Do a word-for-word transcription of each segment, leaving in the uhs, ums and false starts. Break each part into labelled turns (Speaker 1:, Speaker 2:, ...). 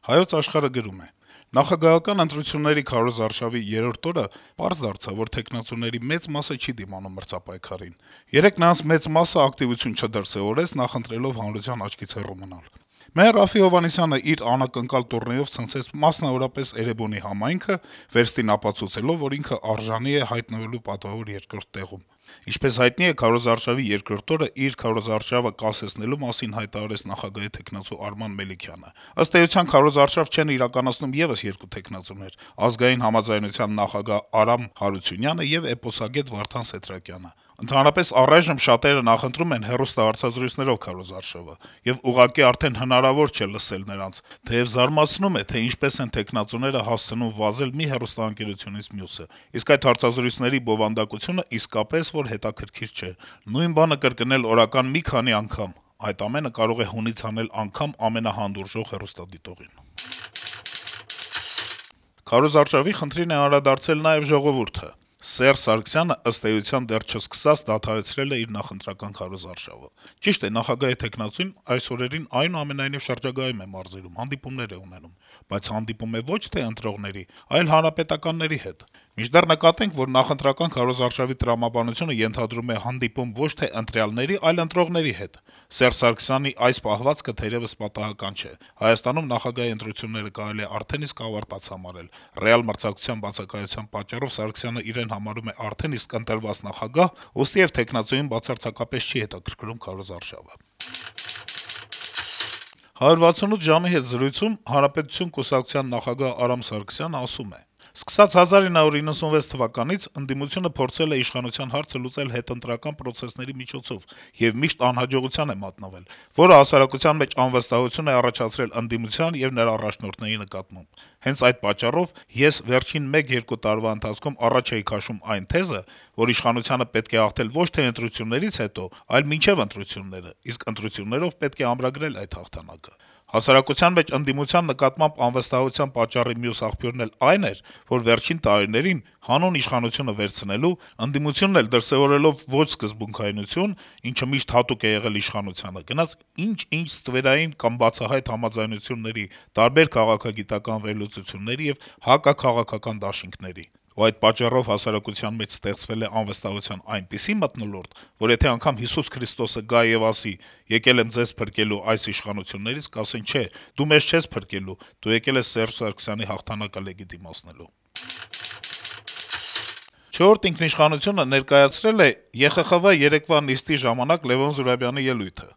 Speaker 1: Հայոց Աշխարհը գրում է. - «Նախագահական ընտրությունների քարոզարշավի երրորդ օրը պարզ դարձավ, որ թեկնածուների մեծ մասը չի դիմանում մրցապայքարին: Երեկ նրանց մեծ մասը ակտիվություն չդրսեւորեց` նախընտրելով հանրության աչքից հեռու մնալ: Մեհեր Րաֆֆի Հովհաննիսյանը իր անակնկալ տուրնեով ցնցեց մասնավորապես Էրեբունի համայնքը` վերստին ապացուցելով, որ ինքը արժանի է հայտնվելու պատվավոր երկրորդ տեղում: Ինչպես հայտնի է, քարոզարշավի երկրորդ օրը իր քարոզարշավը կասեցնելու մասին հայտարարեց նախագահի թեկնածու Արման Մելիքյանը: Ըստ էության, քարոզարշավ չեն իրականացնում եւս երկու թեկնածուներ` Ազգային համաձայնության նախագահ Արամ Հարությունյանը եւ էպոսագետ Վարդան Սեթրակյանը: Ընդհանրապես, առայժմ շատերը նախընտրում են հեռուստահեռարձազրույցներով քարոզարշավը, եւ ուղղակի արդեն հնարավոր չէ լսել նրանց, թեեւ զարմացնում է, թե ինչպես են թեկնածուները հասցնում վազել մի հեռուստաընկերությունից մյուսը: Իսկ այդ հարցազրույցների բովանդակությունը իսկապես որ հետաքրքիր չէ: Նույն բանը կրկնել օրական մի քանի անգամ: Այդ ամենը կարող է հունից հանել անգամ ամենահանդուրժող հեռուստադիտողին»: Քարոզարշավի խնդրին է անդրադարձել նաեւ «Ժողովուրդ»-ը. - «Սերժ Սարգսյանը, ըստ էության, դեռ չսկսած դադարեցրել է իր նախընտրական քարոզարշավը: Ճիշտ է, նախագահի թեկնածուն այս օրերին այնուամենայնիվ շրջագայում է մարզերում, հանդիպումներ է ունենում: Բայց հանդիպում է ոչ թե ընտրողների, այլ հանրապետականների հետ: Մինչդեռ նկատենք, որ նախընտրական քարոզարշավի տրամաբանությունը ենթադրում է հանդիպում ոչ թե ընտրյալների, այլ ընտրողների հետ: Սերժ Սարգսյանի այս պահվածքը թերեւս պատահական չէ: Հայաստանում նախագահի ընտրությունները կարելի է արդեն իսկ ավարտած համարել: Ռեալ մրցակցության բացակայության պատճառով Սարգսյանն իրեն համարում է արդեն իսկ ընտրված նախագահ, ուստիեւ թեկնածուին բացարձակապես չի հետաքրքրում քարոզարշավը»: «հարյուր վաթսունութ ժամ»-ի հետ զրույցում Հանրապետություն կուսակցության նախագահ Արամ Սարգսյանն ասում է. - «Սկսած հազար իննսուն իննսունվեց թվականից ընդդիմությունը փորձել է իշխանության հարցը լուծել հետընտրական պրոցեսների միջոցով եւ միշտ անհաջողության է մատնվել, որը հասարակության մեջ անվստահություն է առաջացրել ընդդիմության եւ նրա առաջնորդների նկատմամբ: Հենց այդ պատճառով ես վերջին մեկ-երկու տարվա ընթացքում առաջ էի քաշում այն թեզը, որ իշխանությանը պետք է հաղթել ոչ թե ընտրություններից հետո, այլ մինչեւ ընտրությունները, իսկ ընտրություններով պետք է ամրագրել այդ հաղթանակը: Հասարակության մեջ ընդդիմության նկատմամբ անվստահության պատճառի մյուս աղբյուրն էլ այն էր, որ վերջին տարիներին, հանուն իշխանությունը վերցնելու, ընդդիմությունն էլ դրսեւորելով ոչ սկզբունքայնություն, ինչը միշտ հատուկ է եղել իշխանությանը, գնաց ինչ-ինչ ստվերային կամ բացահայտ համաձայնությունների, տարբեր քաղաքագիտական վերլուծությունների եւ հակաքաղաքական դաշինքների: Ու այդ պատճառով հասարակության մեջ ստեղծվել է անվստահության այնպիսի մթնոլորտ, որ եթե անգամ Հիսուս Քրիստոսը գա եւ ասի` եկել եմ ձեզ փրկելու այս իշխանություններից, կասեն` չէ, դու մեզ չես փրկելու, դու եկել ես Սերժ Սարգսյանի հաղթանակը լեգիտիմացնելու»: «Չորրորդ ինքնիշխանություն»-ը ներկայացրել է Եվրախորհրդի խորհրդի երեկվա նիստի ժամանակ Լեւոն Զուրաբյանի ելույթը: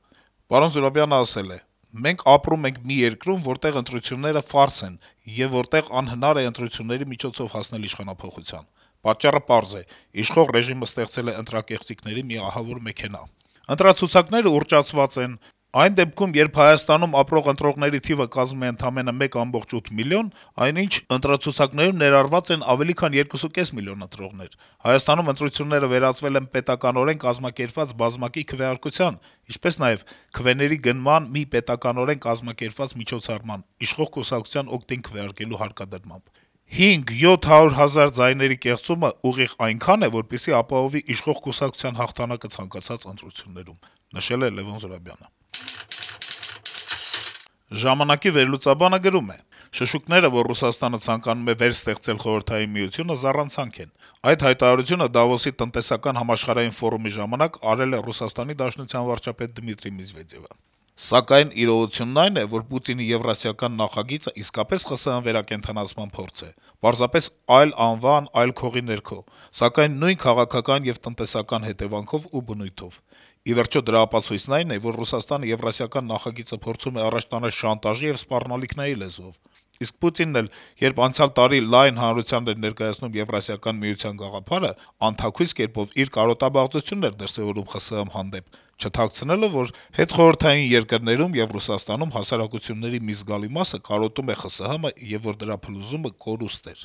Speaker 1: Զուրաբյանը ասել է. - «Մենք ապրում ենք մի երկրում, որտեղ ընտրությունները ֆարս են, եւ որտեղ անհնար է ընտրությունների միջոցով հասնել իշխանափոխության: Պատճառը պարզ է. իշխող ռեժիմը ստեղծել է ընտրակեղծիքների մի ահավոր մեքենա: Ընտրացուցակները ուռճացված են: Այն դեպքում, երբ Հայաստանում ապրող ընտրողների թիվը կազմում է ընդամենը մեկ ամբողջ ութ միլիոն, այնինչ ընտրացուցակներում ներառված են ավելի քան երկուսուկես միլիոն ընտրողներ: Հայաստանում ընտրությունները վերածվել են պետականորեն կազմակերպված բազմակի քվեարկության, ինչպես նաեւ քվեների գնման մի պետականորեն կազմակերպված միջոցառման` իշխող կուսակցության օգտին քվեարկելու հարկադրմամբ: հինգ-յոթ հարյուր հազար ձայների կեղծումը ուղիղ այնքան է, որպեսզի ապահովի իշխող կուսակցության հաղթանակը ցանկացած ընտրություններում»: «Ժամանակ»-ի վերլուծաբանը գրում է. - «Շշուկները, որ Ռուսաստանը ցանկանում է վերստեղծել Խորհրդային Միությունը, զառանցանք են: Այդ հայտարարությունը Դավոսի տնտեսական համաշխարհային ֆորումի ժամանակ արել է ՌԴ վարչապետ Դմիտրի Մեդվեդեւը: Սակայն իրողությունն այն է, որ Պուտինի եվրասիական նախագիծը իսկապես ԽՍՀՄ վերակենդանացման փորձ է, պարզապես այլ անվան, այլ քողի ներքո, սակայն նույն քաղաքական եւ տնտեսական հետեւանքով ու բնույթով: Ի վերջո, դրա ապացույցն այն է, որ Ռուսաստանը եվրասիական նախագիծը փորձում է առաջ տանել շանտաժի եւ սպառնալիքների լեզվով: Իսկ Պուտինն էլ, երբ անցյալ տարի լայն հանրությանն էր ներկայացնում Եվրասիական միության գաղափարը, անթաքույց կերպով իր կարոտաբաղձությունն էր դրսեւորում ԽՍՀՄ հանդեպ, չթաքցնելով, որ հետխորհրդային երկրներում եւ Ռուսաստանում հասարակությունների մի զգալի մասը կարոտում է ԽՍՀՄ եւ որ դրա փլուզումը կորուստ էր»: